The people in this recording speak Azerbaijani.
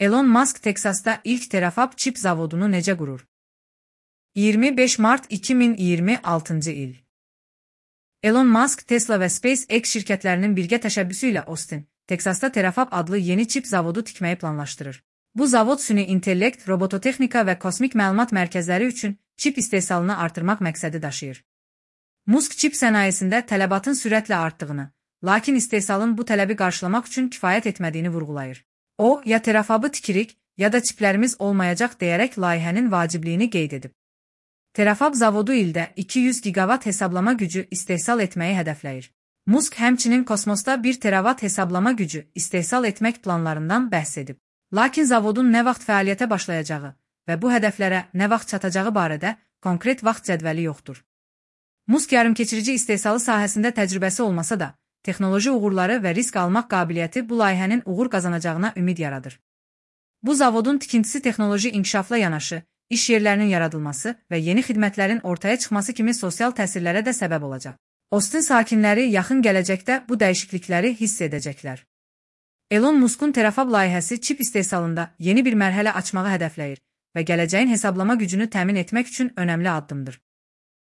Elon Musk Teksasda ilk terafab çip zavodunu necə qurur? 25 mart 2026 il. Elon Musk, Tesla və SpaceX şirkətlərinin birgə təşəbbüsü ilə Austin, Teksasda terafab adlı yeni çip zavodu tikməyi planlaşdırır. Bu zavod süni intellekt, robototexnika və kosmik məlumat mərkəzləri üçün çip istehsalını artırmaq məqsədi daşıyır. Musk çip sənayesində tələbatın sürətlə artdığını, lakin istehsalın bu tələbi qarşılamaq üçün kifayət etmədiyini vurğulayır. O, ya terafabı tikirik, ya da çiplərimiz olmayacaq deyərək layihənin vacibliyini qeyd edib. Terafab zavodu ildə 200 gigavat hesablama gücü istehsal etməyi hədəfləyir. Musk həmçinin kosmosda 1 teravat hesablama gücü istehsal etmək planlarından bəhs edib. Lakin zavodun nə vaxt fəaliyyətə başlayacağı və bu hədəflərə nə vaxt çatacağı barədə konkret vaxt cədvəli yoxdur. Musk yarımkeçirici istehsalı sahəsində təcrübəsi olmasa da, texnoloji uğurları və risk almaq qabiliyyəti bu layihənin uğur qazanacağına ümid yaradır. Bu zavodun tikintisi texnoloji inkişafla yanaşı, iş yerlərinin yaradılması və yeni xidmətlərin ortaya çıxması kimi sosial təsirlərə də səbəb olacaq. Austin sakinləri yaxın gələcəkdə bu dəyişiklikləri hiss edəcəklər. Elon Musk'un terafab layihəsi çip istehsalında yeni bir mərhələ açmağı hədəfləyir və gələcəyin hesablama gücünü təmin etmək üçün önəmli addımdır.